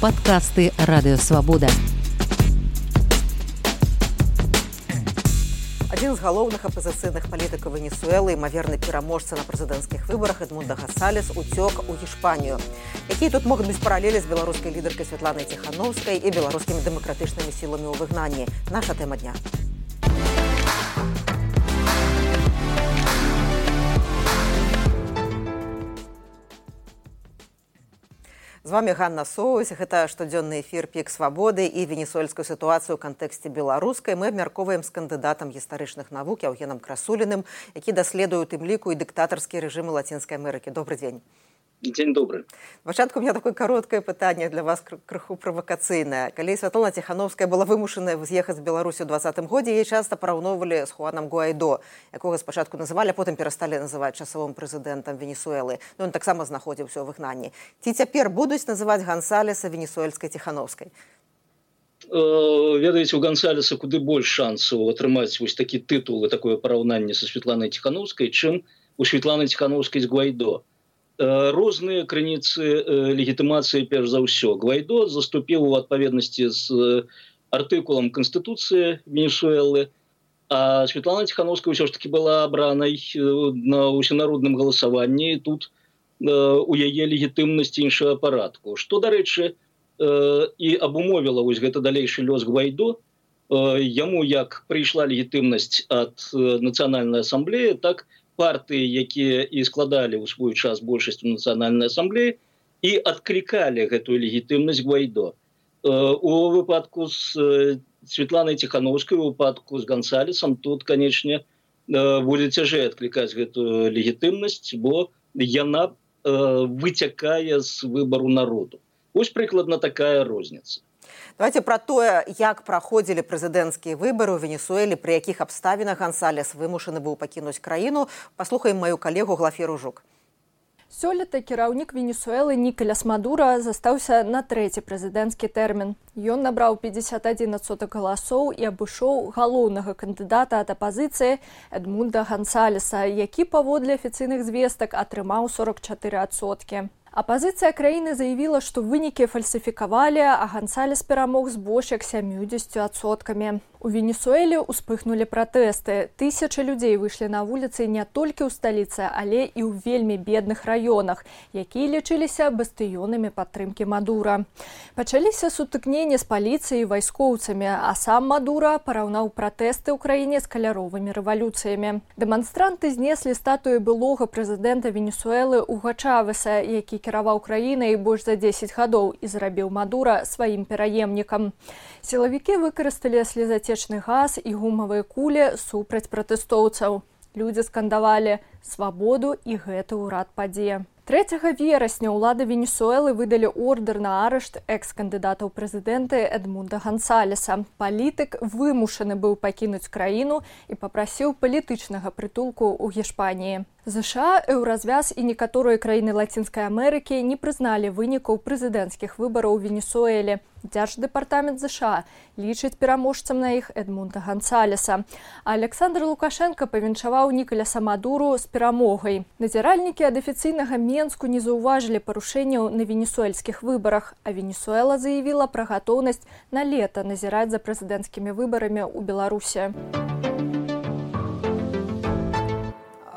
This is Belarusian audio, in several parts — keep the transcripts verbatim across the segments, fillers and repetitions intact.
Падкасты Радыёвабода. Адзін з галоўных апазіцыйных палітыкаў Венесуэлы, імаверны пераможца на прэзідэнцкіх выбарах Эдмундо Гонсалес уцёк у Гішпанію. Якія тут могуць быць паралелі з беларускай лідаркай Святланай Ціханаўскай і беларускімі дэмакратычнымі сіламі ў выгнанні? Наша тэма дня. З вами Ганна Соусь. Гэта штодзённы эфір «Пік свабоды» і венесуэльскую сітуацыю ў кантэксце беларускай. Мы абмяркоўваем з кандыдатам гістарычных навук Яўгенам Красуліным, які даследуе у тым ліку і дыктатарскія рэжымы Лацінскай Амерыкі. Добры дзень. Дзень добры. Пачатку у меня такое кароткае пытанне для вас, крыху правакацыйнае. Калі Святлана Ціханаўская была вымушаная з'ехаць з Беларусі ў двадцатым годзе, яе часта параўноўвалі з Хуанам Гуайдо, якога спачатку называлі, а потым перасталі называць часовым прэзідэнтам Венесуэлы. Ну, ён таксама знаходзіўся ў выгнанні. Ці цяпер будуць называць Гонсалеса венесуэльскай Ціханаўскай? Ведаеце, у Гонсалеса куды больш шансаў атрымаць вось такі тытул і такое параўнанне са Святланай Ціханаўскай, чым у Святланы Ціханаўскай з Гуайдо. Розныя крыніцы легітымацыі, перш за ўсё. Гуайдо заступіў у адпаведнасці з артыкулам Канстытуцыі Венесуэлы, а Святлана Ціханаўская ўсё ж таки была абранай на ўсенародным галасаванні, і тут у яе легітымнасць іншага парадку. Што, дарэчы, і абумовіла вось гэта далейшы лёс Гуайдо. Яму як прыйшла легітымнасць ад Нацыянальнай асамблеі, так партыі, якія і складалі ў свой час большасць у Нацыянальнай асамблеі, і адклікалі гэтую легітымнасць Гуайдо. У выпадку з Святланай Ціханаўскай, у выпадку з Гонсалесам, тут, канечне, будзе цяжэй адклікаць гэтую легітымнасць, бо яна выцякае з выбару народу. Вось прыкладна такая розніца. Давайте про тое, як праходзілі прэзідэнцкія выбары ў Венесуэле, пры якіх абставінах Гонсалес вымушаны быў пакінуць краіну, паслухаем маю калегу Глафіру Жук. Сёлета кіраўнік Венесуэлы Нікаляс Мадура застаўся на трэці прэзідэнцкі тэрмін. Ён набраў пятьдесят один адсотак галасоў і абышоў галоўнага кандыдата ад апазіцыі Эдмунда Гонсалеса, які паводле афіцыйных звестак атрымаў сорок чатыры адсоткі. Апазіцыя краіны заявіла, што вынікі фальсіфікавалі, а Гонсалес перамог з больш як сямюдзесятю адсоткамі. У Венесуэле ўспыхнулі пратэсты. Тысячы людзей выйшлі на вуліцы не толькі ў сталіцы, але і ў вельмі бедных раёнах, якія лічыліся бастыёнамі падтрымкі Мадура. Пачаліся сутыкненні з паліцыяй і вайскоўцамі, а сам Мадура параўнаў пратэсты ў краіне з каляровымі рэвалюцыямі. Дэманстранты знеслі статуі былога прэзідэнта Венесуэлы Уго Чавеса, які кіраваў краінай больш за дзесяць гадоў і зрабіў Мадура сваім пераемнікам. Сілавікі выкарысталі слезацечны газ і гумавыя кулі супраць пратэстоўцаў. Людзі скандавалі «Свабоду» і гэты ўрад падзе. трэцяга верасня ўлады Венесуэлы выдалі ордэр на арышт экс-кандыдата ў прэзідэнты Эдмунда Гонсалеса. Палітык вымушаны быў пакінуць краіну і папрасіў палітычнага прытулку ў Гішпаніі. ЗША, Еўразвяз і некаторыя краіны Лацінскай Амерыкі не прызналі вынікаў прэзідэнцкіх выбараў у Венесуэле. Дзярждэпартамент ЗША лічыць пераможцам на іх Эдмунда Гонсалеса. А Александр Лукашенко павіншаваў Нікаляса Мадуру з перамогай. Назіральнікі ад афіцыйнага Менску не заўважылі парушэнняў на венесуэльскіх выбарах, а Венесуэла заявіла пра гатоўнасць на лета назіраць за прэзідэнцкімі выбарамі ў Беларусі.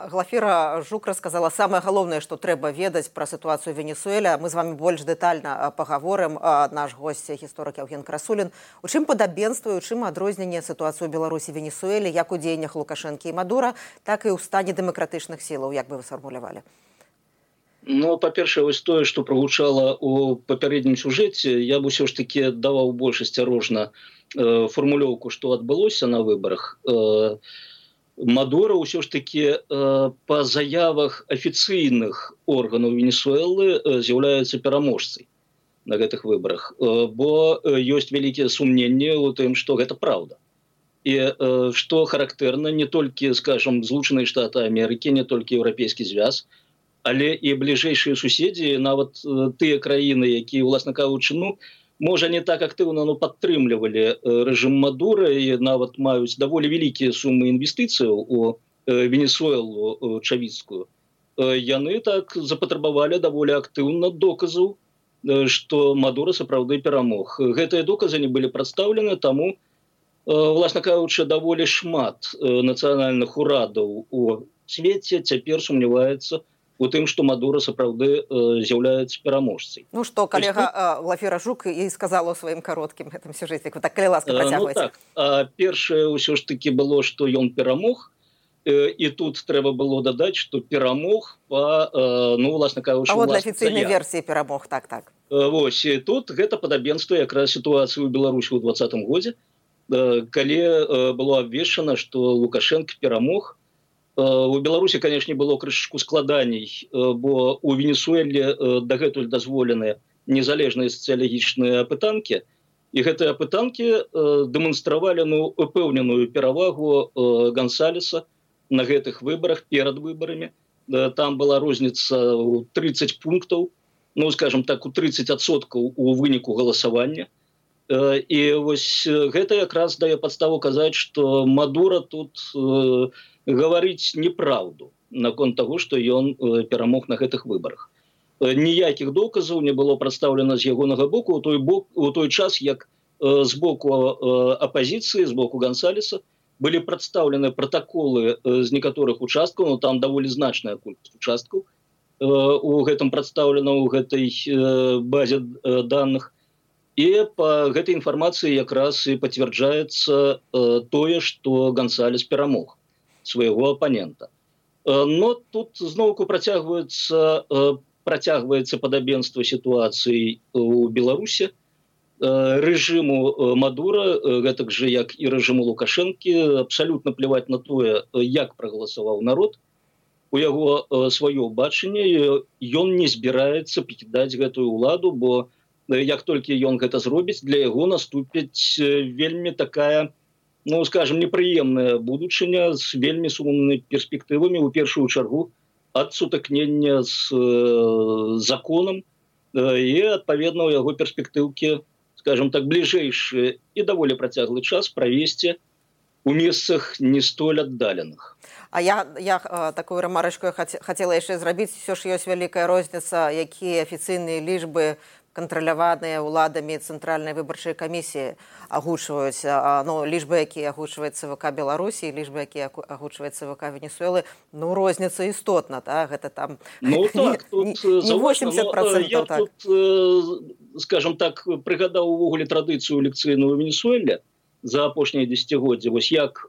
Глафіра Жук рассказала самае галоўнае, што трэба ведаць пра сітуацыю ў Венесуэле. Мы з вами больш дэтальна пагаворым. Наш госць гісторык Яўген Красулін. У чым падабенства і у чым адрозненне сітуацыю ў Беларусі і Венесуэле, як у дзеяннях Лукашэнкі і Мадура, так і ў стане дэмакратычных сілаў, як бы вы сфармулявалі? Ну, па-першае, вось тое, што прагучала ў папярэднім сюжэце, я б усё ж такі даваў больш асцярожна э, фармулёўку, што адбылося на выбарах. Э, Мадура ўсё ж такі э, па заявах афіцыйных органаў Венесуэлы э, з'яўляецца пераможцай на гэтых выбарах, э, бо э, ёсць вялікія сумненні ў тым, што гэта праўда. І э, што характэрна не толькі, скажам, Злучаныя Штаты Амерыкі, не толькі Еўрапейскі звяз, але і бліжэйшыя суседзі, нават э, тыя краіны, якія, уласна кажучы, ну, можа, не так актыўна, но падтрымлівалі рэжым Мадура і нават маюць даволі вялікія сумы інвестыцыяў у Венесуэлу чавіцкую. Яны так запатрабавалі даволі актыўна доказаў што Мадура сапраўды перамог. Гэтыя доказы не былі прадстаўлены, таму, власна кажучы, даволі шмат нацыянальных урадаў у свеце цяпер сумняваецца у тым, што Мадура сапраўды з'яўляецца пераможцай. Ну што, калега Глафіра Жук і сказала ў сваім кароткім гэтым сюжэце. Так, калі ласка, працягвайце. Ну так, а першае ўсё ж такі было, што ён перамог, і тут трэба было дадаць, што перамог па, ну, власна кажучы, а вот для афіцыйнай версіі перамог, так, так. Вось, і тут гэта падабенства якраз сітуацыі ў Беларусі ў двадцатым годзе, калі было абвешчана, што Лукашенко перамог. У Беларусі, канешне, было крышачку складаней, бо у Венесуэле дагэтуль дазволеныя незалежныя сацыялагічныя апытанкі, і гэтыя апытанкі дэманстравалі ну, упэўненую перавагу Гонсалеса на гэтых выбарах перад выбарамі. Там была розніца ў трыццаць пунктаў, ну, скажем так, у трыццаць адсоткаў у выніку галасавання. І вось гэта якраз дае падставу казаць, што Мадура тут гаварыць неправду наконт таго, што ён перамог на гэтых выбарах. Ніякіх доказаў не было прадстаўлена з ягонага боку у той, бок, у той час, як з боку апазіцыі, з боку Гонсалеса былі прадстаўлены пратаколы з некаторых участкаў, ну там даволі значная колькасць участкаў у гэтым прадстаўлена ў гэтай базе даных. І па гэтай інфармацыі якраз і пацвярджаецца тое, што Гонсалес перамог свайго апанента. Но тут зноўку працягваецца, працягваецца падабенства сітуацыі ў Беларусі. Рэжыму Мадура, гэтак жа як і рэжыму Лукашэнкі, абсалютна пляваць на тое, як прагаласаваў народ. У яго сваё бачанне, ён не збіраецца пакідаць гэтую ўладу, бо як толькі ён гэта зробіць, для яго наступіць вельмі такая, ну, скажем, непрыемная будучыня з вельмі сумнымі перспектывамі, у першую чаргу, ад сутыкнення з э, законам, э, і, адпаведна, у яго перспектыўкі, скажем так, бліжэйшы і даволі працяглы час правесці у месцах не столь аддаленых. А я, я такую рамарачку хацела яшчэ зрабіць, ўсё ж ёсць вялікая розніца, якія афіцыйныя лічбы кантраляваныя ўладамі цэнтральнай выбарчай камісіі агучваюць, ну, лічбы, якія агучваюць ЦВК Беларусі, лічбы, якія агучваюць ЦВК Венесуэлы, ну, розніца істотна, так, гэта там ну, так, тут, не восемьдесят процентов. Я так. тут, скажем так, прыгадаў увогуле традыцыю лекцыйную ў Венесуэле за апошнія дзесяцігоддзі. Вось як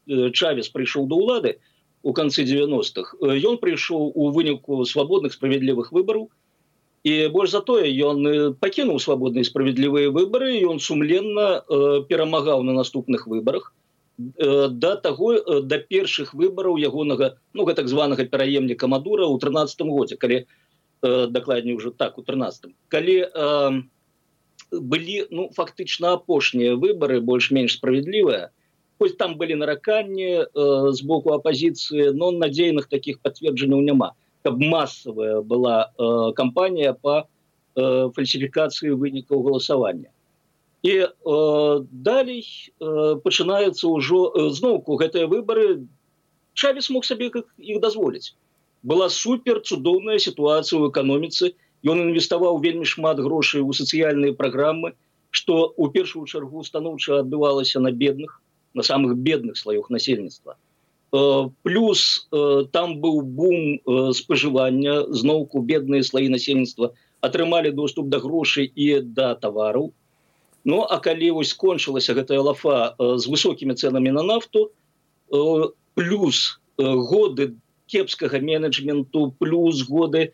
Чавес прыйшоў да ўлады у канцы дзевяностых, ён прыйшоў у выніку свабодных справядлівых выбараў. І больш за тое, ён пакінуў свабодныя і справядлівыя выбары, і ён сумленна э, перамагаў на наступных выбарах э, да таго, э, да першых выбараў ягонага, ну, так званага пераемніка Мадура ў трынаццатым годзе, калі, э, дакладней уже так, у трынаццатым, калі э, былі, ну, фактычна апошнія выбары, больш-менш справядлівыя, хоць там былі нараканні э, з боку апазіцыі, но надзейных такіх пацверджанняў няма. Каб массовая была э, кампанія па э, фальсіфікацыі вынікаў галасавання. І э, далей э, пачынаецца ўжо э, зноўку гэтыя выбары. Чавес мог сабе іх дазволіць. Была супер цудоўная сітуацыя ў эканоміцы. Ён інвеставаў вельмі шмат грошай у сацыяльныя праграмы, што ў першую чаргу станоўча адбывалася на бедных, на самых бедных слаёх насельніцтва. Плюс там быў бум спажывання, зноўку бедныя слаі насельніцтва атрымалі доступ да грошай і да тавараў. Ну, а калі вось скончылася гэтая лафа з высокімі цэнамі на нафту, плюс годы кепскага менеджменту, плюс годы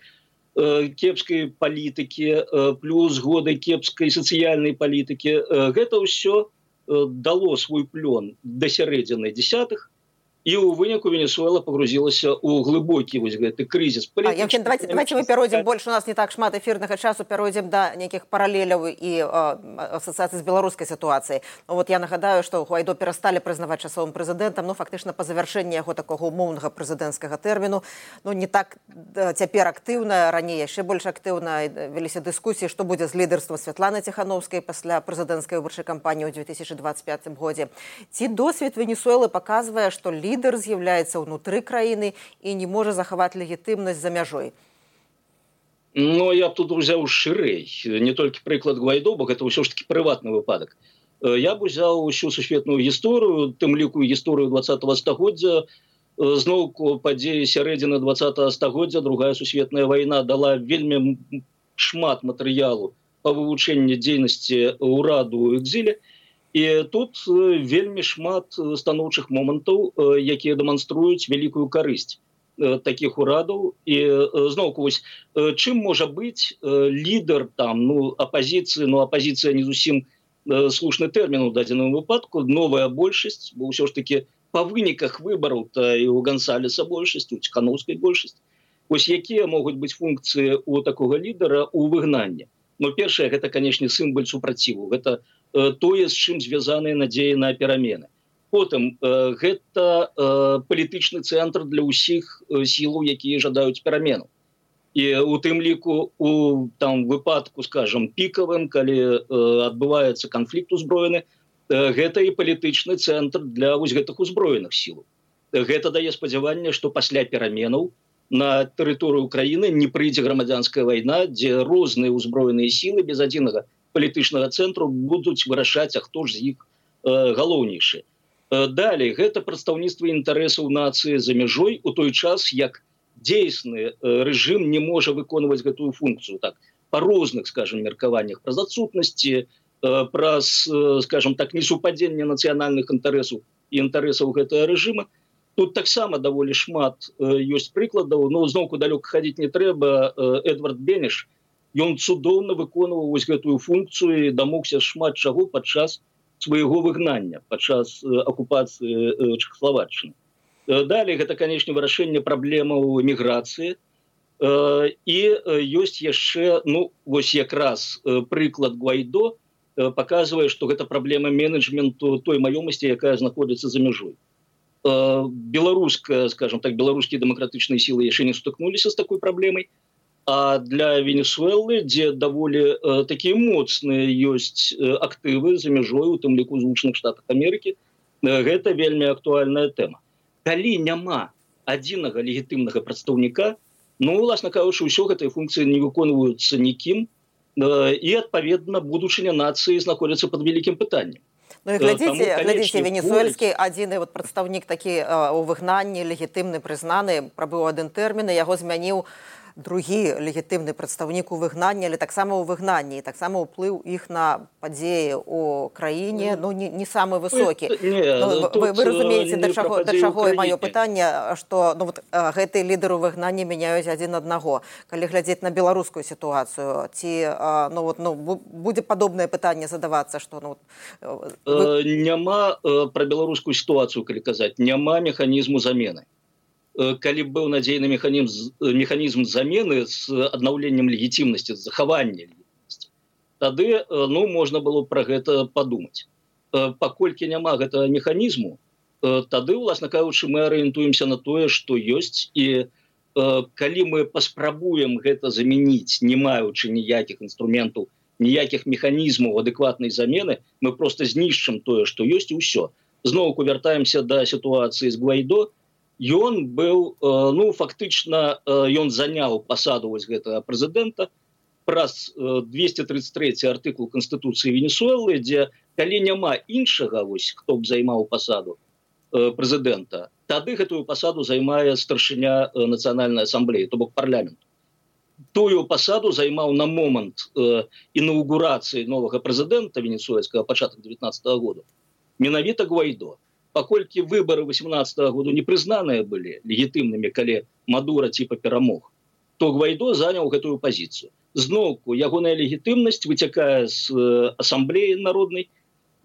кепскай палітыкі, плюс годы кепскай сацыяльнай палітыкі, гэта ўсё дало свой плён да сярэдзіны дзесятых, и у выніку Венесуэла погрузилася у глубокий вот гэты кризис. А, Евген, давайте, давайте мы перейдем, больше у нас не так шмат эфирных часу, перейдем до неких параллелей и э, ассоциаций с белорусской ситуацией. Ну, вот я нагадаю, что Гуайдо перестали признавать часовым президентом, ну, фактично по завершении его такого умовного президентского термину, ну, не так теперь активно, ранее еще больше активно велись дискуссии, что будет с лидерством Светланы Тихановской после президентской выборчей кампании в две тысячи двадцать пятом году. Ці досвід Венесуэлы показывает, что лидер з'являецца ўнутры краіны і не можа захаваць легітымнасць за мяжой. Но я б тут узяў шырэй, не толькі прыклад Гвайдо, бо гэта ўсё ж таки прыватны выпадак. Я б узяў усю сусветную гісторыю, тым ліку гісторыю двадцатого стагоддзя, зноўку падзеі сярэдзіны двадцатого стагоддзя, другая сусветная вайна дала вельмі шмат матэрыялу па вывучэнні дзейнасці ўраду ў экзіле, і тут вельмі шмат станоўчых момантаў, якія дэманструюць вялікую карысць таких урадаў. І зноўку вось чым можа быць лідар там, ну, апазіцыі, ну апазіцыя не зусім слушны тэрмін у дадзеным выпадку, новая большасць, бо ўсё ж таки па выніках выбараў то і у Гансалеса большасць, у Ціханаўскай большасць. Вось якія могуць быць функцыі у такога лідара ў выгнанні? Ну, першае, гэта, канешне, сімвал супраціву. Гэта тое, з чым звязаныя надзеі на перамены. Потым гэта палітычны цэнтр для ўсіх сілаў, якія жадаюць перамену. І у тым ліку у там выпадку, скажем, пікавым, калі адбываецца канфлікт узброены, гэта і палітычны цэнтр для вось гэтых узброеных сілаў. Гэта дае спадзяванне, што пасля пераменаў на тэрыторыю краіны не прыйдзе грамадзянская вайна, дзе розныя ўзброеныя сілы без адзінага палітычнага цэнтру будуць вырашаць, а хто ж з іх галоўнейшы. Далей, гэта прадстаўніцтва інтарэсаў нацыі за мяжой у той час, як дзейсны рэжым не можа выконваць гэтую функцыю. Так, па розных, скажем, меркаваннях, праз адсутнасці, праз, скажем так, несупадзенне нацыянальных інтарэсаў і інтарэсаў гэтага рэжыма. Тут таксама даволі шмат ёсць прыкладаў, но зноўку далёка хадзіць не трэба. Эдвард Беніш, ён цудоўна выконваў вось гэтую функцыю і дамогся шмат чаго падчас свайго выгнання, падчас акупацыі Чэхаславаччыны. Далей, гэта, канешне, вырашэнне праблемаў міграцыі. І ёсць яшчэ, ну, вось якраз прыклад Гвайдо паказвае, што гэта праблема менеджменту той маёмасці, якая знаходзіцца за мяжой. Беларуская, скажем так, беларускія дэмакратычныя сілы яшчэ не сутыкнуліся з такой праблемай. А для Венесуэлы, дзе даволі э, такія моцныя ёсць э, актывы за мяжой, у тым ліку Злучаных Штатах Амерыкі, э, гэта вельмі актуальная тэма. Калі няма адзінага легітымнага прадстаўніка, ну, уласна кажучы, ўсё гэтыя функцыі не выконваюцца нікім, э, і, адпаведна, будучыня нацыі знаходзіцца пад вялікім пытаннем. Ну і глядзіце, глядзіце, венесуэльскі адзіны вот прадстаўнік такі э, у выгнанні, легітымны, прызнаны, прабыў адзін тэрмін, яго змяніў другі легітымны прадстаўнік у выгнанні, але таксама ў выгнанні, і таксама ўплыў іх на падзеі ў краіне, ну, не, не самы высокі. Ну, вы, вы разумееце, да чаго, да чаго і маё пытанне, што ну, вот, гэтыя лідары ў выгнанні мяняюць адзін аднаго. Калі глядзець на беларускую сітуацыю, ці ну, вот, ну, будзе падобнае пытанне задавацца, што ну, вы... няма пра беларускую сітуацыю, калі казаць, няма механізму замены. Калі быў надзейны механізм, механізм замены з аднаўленнем легітымнасці, з захавання легітымнасці, тады ну, можна было пра гэта падумаць. Паколькі няма гэтага механізму, тады, уласна кажучы, мы арыентуемся на тое, што ёсць, і калі мы паспрабуем гэта замяніць, не маючы ніякіх інструментаў, ніякіх механізмаў адэкватнай замены, мы проста знішчым тое, што ёсць, і ўсё. Зноўку вяртаемся да сітуацыі з Гвайдо. Ён быў, ну, фактычна, ён заняў пасаду вось гэтага прэзідэнта праз двести тридцать третий артыкул Канстытуцыі Венесуэлы, дзе калі няма іншага, вось, хто б займаў пасаду прэзідэнта, тады гэтую пасаду займае старшыня Нацыянальнай асамблеі, то бок парламенту. Тую пасаду займаў на момант інаўгурацыі новага прэзідэнта венесуэльскага пачатак девятнадцатого года менавіта Гвайдо. Паколькі выбары восемнадцатого года не прызнаныя былі легітымнымі, калі Мадура типа перамог, то Гвайдо заняў гэтую пазіцыю. Зноўку, ягоная легітымнасць выцякае з асамблеі народнай,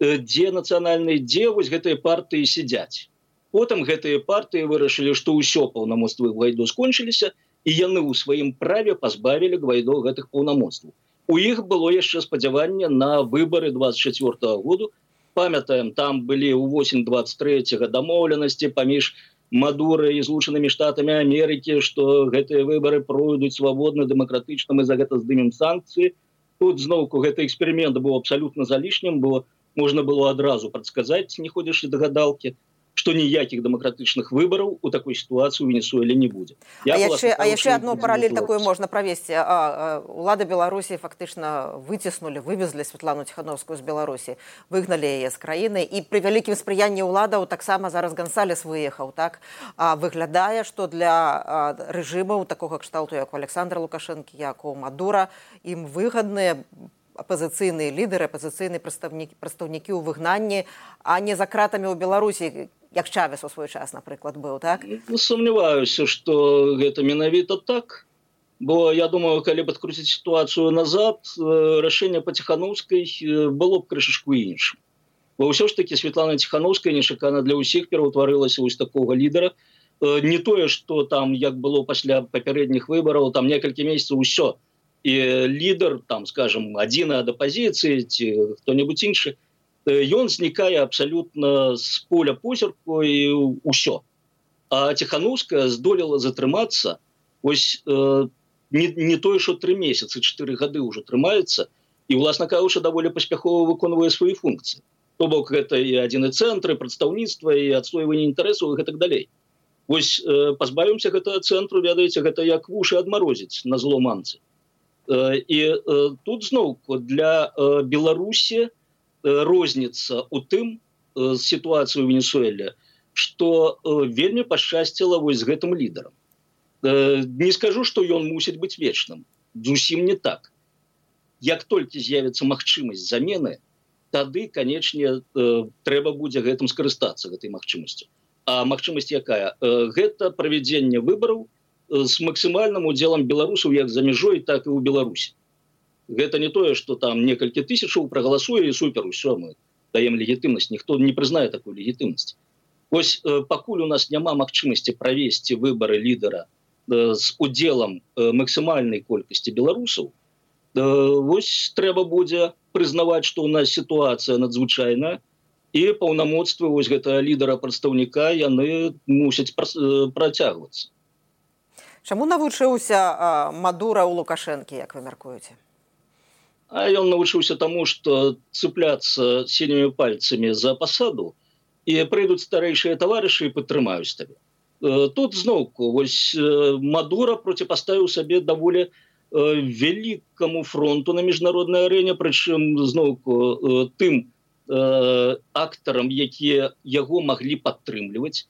дзе нацыянальнай, дзе вось гэтыя партыі сядзяць. Потым гэтыя партыі вырашылі, што ўсё паўнамоцтвы Гвайдо скончыліся, і яны ў сваім праве пазбавілі Гвайдо гэтых паўнамоцтваў. У іх было яшчэ спадзяванне на выбары двадцать четвёртого года. Памятаем, там былі ў восень двадцать третьего дамоўленасці паміж Мадурай і Злучанымі Штатамі Амерыкі, што гэтыя выбары пройдуць свабодна, дэмакратычна, мы за гэта здымем санкцыі. Тут зноўку гэты эксперымент быў абсалютна залішнім, бо можна было адразу прадказаць, не ходзячы да гадалкі. што ніякіх дэмакратычных выбараў у такой сітуацыі ў Венесуэле не будзе. А яшчэ, а яшчэ адну паралель такую можна правесці. А, а, улады Беларусі фактычна выціснулі, вывезлі Святлану Ціхановскую з Беларусі, выгналі яе з краіны, і пры вялікім спрыянні ўладаў таксама зараз Гансалес выехаў, так? А выглядае, што для а, рэжымаў такога кшталту, як у Александра Лукашэнкі, як у Мадура, ім выгадныя апазіцыйныя лідары, апазіцыйныя прадстаўнікі, прадстаўнікі ў выгнанні, а не за кратамі ў Беларусі, як Чавес у свой час, напрыклад, быў, так? Сумняваюся, што гэта менавіта так, бо я думаю, калі б адкруціць сітуацыю назад, рашэнне па Ціхановскай было б крышачку іншым. Бо ўсё ж такі Святлана Ціхановская нечакана для ўсіх пераўтварылася вось такога лідара. Не тое, што там, як было пасля папярэдніх выбараў, там некалькі месяцаў усё. І лідар, там, скажем, адзін ад апазіцыі ці хто-небудзь іншы, ён знікае абсалютна з поля позірку і ўсё. А Ціхановская здолела затрымацца, ось э, не, не тое, што тры месяцы, чатыры гады ўжо трымаецца, і, уласна кажучы, даволі паспяхова выконвае свае функцыі. То бок, гэта і адзіны цэнтр, і прадстаўніцтва, і адстойванне інтарэсаў, і гэтак далей. Вось э, пазбавімся гэтага цэнтру, ведаеце, гэта як вушы адмарозіць на зло мамцы. Э, і э, тут зноўку для э, Беларусі розніца ў тым з сітуацыі ў Венесуэле, што вельмі пашчасціла вось з гэтым лідарам. Не скажу, што ён мусіць быць вечным. Зусім не так. Як толькі з'явіцца магчымасць замены, тады, канечне, трэба будзе гэтым скарыстацца, гэтай магчымасцю. А магчымасць якая? Гэта правядзенне выбараў з максімальным удзелам беларусаў як за мяжой, так і ў Беларусі. Гэта не тое, што там некалькі тысячаў прагаласуе і супер, усё, мы даем легітымнасць, ніхто не прызнае такую легітымнасць. Вось э, пакуль у нас няма магчымасці правесці выбары лідара э, з удзелам э, максімальнай колькасці беларусаў, э, вось трэба будзе прызнаваць, што ў нас сітуацыя надзвычайная, і паўнамоцтвы вось гэтага лідара-прадстаўніка яны мусяць пра, працягвацца. Чаму навучыўся э, Мадура ў Лукашэнкі, як вы мяркуеце? А ён навучыўся таму, што цыпляцца сінімі пальцамі за пасаду, і прыйдуць старэйшыя таварышы і падтрымаюць табе. Тут зноўку вось Мадура проціпаставіў сабе даволі вялікаму фронту на міжнароднай арэне, прычым зноўку тым актарам, якія яго маглі падтрымліваць.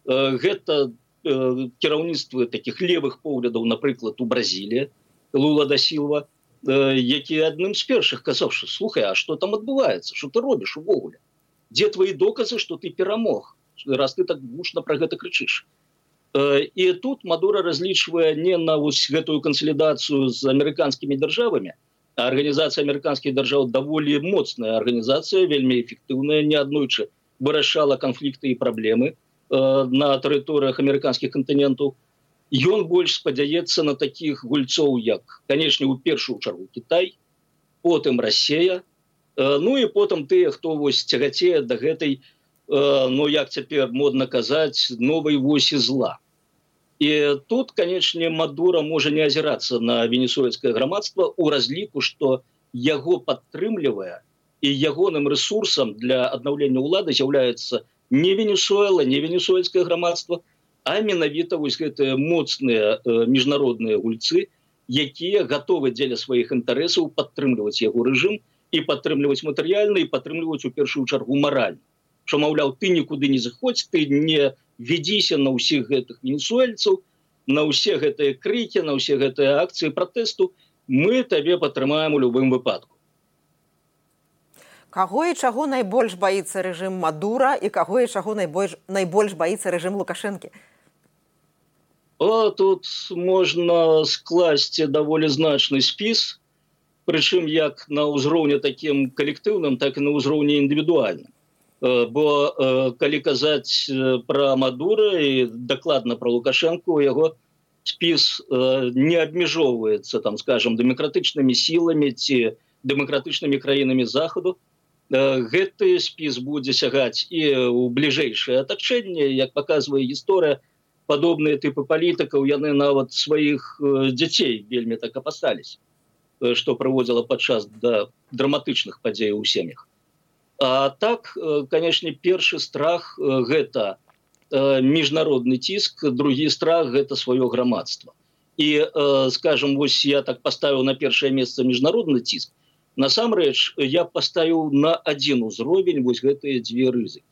Гэта кіраўніцтвы такіх левых поглядаў, напрыклад, у Бразіліі, Лула да Сілва, які адным з першых казаў, што слухай, а што там адбываецца, што ты робіш увогуле? Дзе твои доказы, што ты перамог, раз ты так гучна пра гэта крычыш? І тут Мадура разлічвае не на вось гэтую кансалідацыю з амерыканскімі дзяржавамі, а арганізацыя амерыканскіх дзяржаў даволі моцная арганізацыя, вельмі эфектыўная, неаднойчы вырашала канфлікты і праблемы на тэрыторыях амерыканскіх кантынентаў. Ён больш спадзяецца на такіх гульцоў, як, канечне, у першую чаргу Кітай, потым Расія, ну і потым тыя, хто вось цягацее да гэтай, ну як цяпер модна казаць, новай восі зла. І тут, канечне, Мадура можа не азірацца на венесуэльскае грамадства ў разліку, што яго падтрымлівае і ягоным рэсурсам для аднаўлення ўлады з'яўляецца не Венесуэла, не венесуэльскае грамадства, а менавіта вось гэтыя моцныя э, міжнародныя гульцы, якія гатовы дзеля сваіх інтарэсаў падтрымліваць яго рэжым і падтрымліваць матэрыяльна і падтрымліваць у першую чаргу маральна. Што, маўляў, ты нікуды не заходзь, ты не ведзіся на ўсіх гэтых венесуэльцаў, на ўсе гэтыя крыкі, на ўсе гэтыя акцыі пратэсту, мы табе падтрымаем у любым выпадку. Каго і чаго найбольш баіцца рэжым Мадура і каго і чаго найбольш, найбольш баіцца рэжым Лукашэнкі? О, тут можна скласці даволі значны спіс, прычым як на ўзроўні такім калектыўным, так і на ўзроўні індывідуальным. Бо калі казаць пра Мадура і дакладна пра Лукашэнку, яго спіс не абмяжоўваецца, там, скажем, дэмакратычнымі сіламі ці дэмакратычнымі краінамі Захаду. Гэты спіс будзе сягаць і ў бліжэйшае атачэнне, як паказвае гісторыя, падобныя тыпы палітыкаў, яны нават сваіх дзяцей вельмі так апасаліся, што прыводзіла падчас да драматычных падзеяў у сем'ях. А так, канешне, першы страх гэта міжнародны ціск, другі страх гэта сваё грамадства. І, скажем, вось я так паставіў на першае месца міжнародны ціск. Насамрэч, я паставіў на адзін узровень вось гэтыя дзве рызыкі.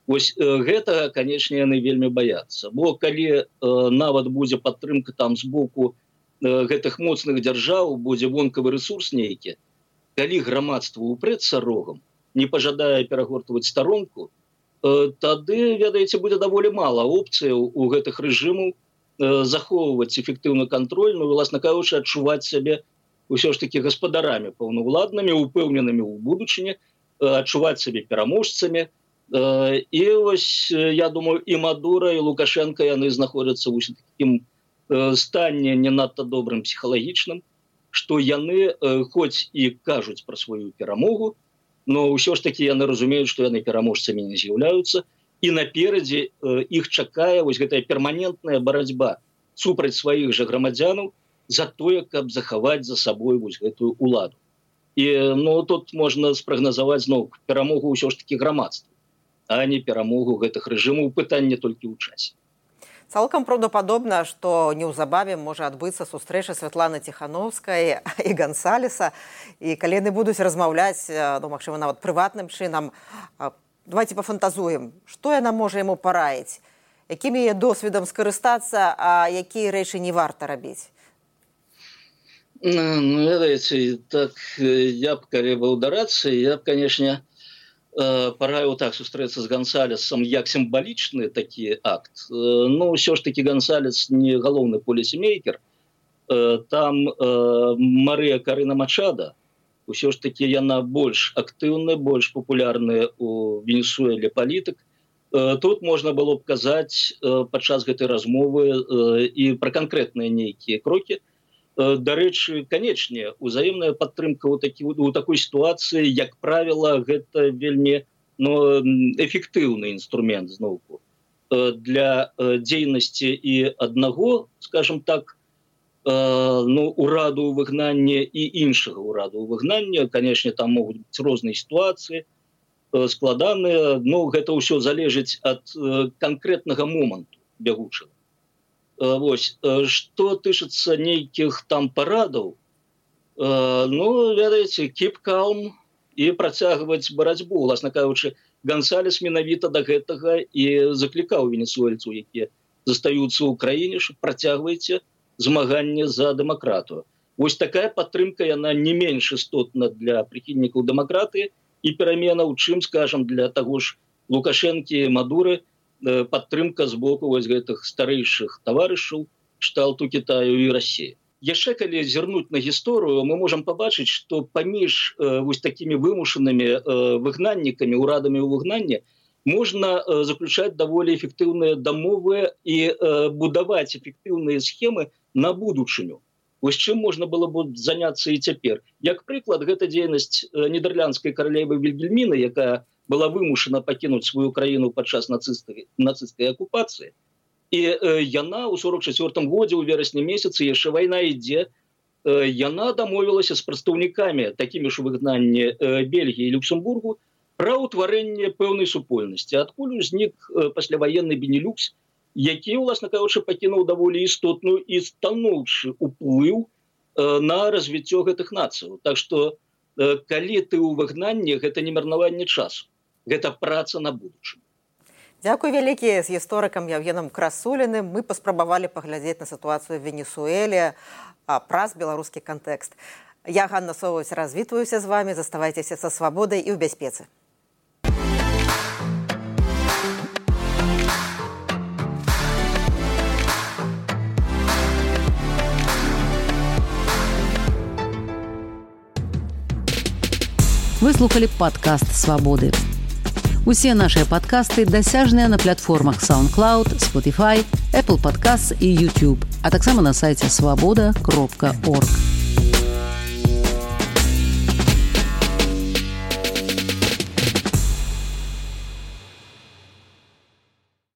Вось гэтага, канешне, яны вельмі баяцца. Бо калі нават будзе падтрымка там з боку гэтых моцных дзяржаў, будзе вонкавы рэсурс нейкі, калі грамадства упрэцца рогам, не пажадае перагортваць старонку, тады, ведаеце, будзе даволі мала опцыяў у гэтых рэжымаў захоўваць эфектыўны кантроль, ну, власна кажучы, адчуваць сябе ўсё ж такі гаспадарамі паўнаўладнымі, упэўненымі ў будучыні, адчуваць сябе пераможцамі. І вось, я думаю, і Мадура, і Лукашенко, яны знаходзяцца ў такім стане не надта добрым псіхалагічным, што яны хоць і кажуць пра сваю перамогу, но ўсё ж такі яны разумеюць, што яны пераможцамі не з'яўляюцца, і наперадзе іх чакае вось гэтая перманентная барацьба супраць сваіх жа грамадзянаў за тое, каб захаваць за сабой вось гэтую уладу. І ну, тут можна спрагназаваць зноў перамогу ўсё ж такі грамадства, а не перамогу гэтых рэжымаў, пытанне толькі ў часе. Цалкам праўдападобна, што неўзабаве можа адбыцца сустрэча Святланы Ціхановскай і Гансалеса, і калі яны будуць размаўляць, ну, магчыма, нават прыватным чынам, давайте пафантазуем, што яна можа яму параіць, якім яе досведам скарыстацца, а якія рэчы не варта рабіць? Ну, ведаеце, так, я б, калі быў дарацца, я б, канешне, параіў так сустрэцца з Гансалесам як сімвалічны такі акт. Ну, ўсё ж такі Гансалес не галоўны полісімейкер. Там Марыя Карына Мачада, ўсё ж такі яна больш актыўная, больш папулярная ў Венесуэле палітык. Тут можна было б казаць падчас гэтай размовы і пра канкрэтныя нейкія крокі. Дарэчы, канечне, узаемная падтрымка ў, такі, ў такой сітуацыі, як правіла, гэта вельмі ну, эфектыўны інструмент зноўку для дзейнасці і аднаго, скажем так, ну, ураду ў выгнанні і іншага ураду ў выгнанні. Канешне, там могуць быць розныя сітуацыі, складаныя, но гэта ўсё залежыць ад канкрэтнага моманту бягучага. Вось, што тычыцца нейкіх там парадаў, ну, ведаеце, keep calm і працягваць барацьбу. Власна кажучы, Гансалес менавіта да гэтага і заклікаў венесуэльцаў, якія застаюцца ў краіне, што працягвайце змаганне за дэмакратыю. Вось такая падтрымка, яна не менш істотна для прыхільнікаў дэмакратыі і пераменаў, чым, скажам, для таго ж Лукашэнкі і Мадуры, падтрымка з боку вось гэтых старэйшых таварышаў кшталту Кітаю і Расіі. Яшчэ калі зірнуць на гісторыю, мы можам пабачыць, што паміж вось такімі вымушанымі выгнаннікамі, урадамі ў выгнанні можна заключаць даволі эфектыўныя дамовы і будаваць эфектыўныя схемы на будучыню. Вось чым можна было б заняцца і цяпер. Як прыклад, гэта дзейнасць нідерландскай каралевы Вільгельміны, якая была вымушана пакінуць сваю краіну падчас нацысцкай, нацысцкай акупацыі. І э, яна ў сорок чацвёртым годзе, у верасні месяцы, яшчэ вайна ідзе, э, яна дамовілася з прадстаўнікамі, такімі ж выгнанні э, Бельгіі і Люксембургу, пра ўтварэнне пэўнай супольнасці. Адкуль узнік э, пасляваенны Бенелюкс, які, уласна кажучы, пакінуў даволі істотную і станоўчы ўплыў э, на развіццё гэтых нацыяў. Так што, э, калі ты ў выгнанні, гэта не марнаванне часу. Гэта праца на будучыню. Дзякуй вялікі. З гісторыкам Яўгенам Красуліным мы паспрабавалі паглядзець на сітуацыю в Венесуэле праз беларускі кантэкст. Я, Ганна Соваць, развітваюся з вами. Заставайцеся са свабодай і ў бяспецы. Вы слухали падкаст «Свабоды». Усе нашыя падкасты дасяжныя на платформах SoundCloud, Spotify, Apple Podcasts і YouTube, а таксама на сайце свабода кропка орг.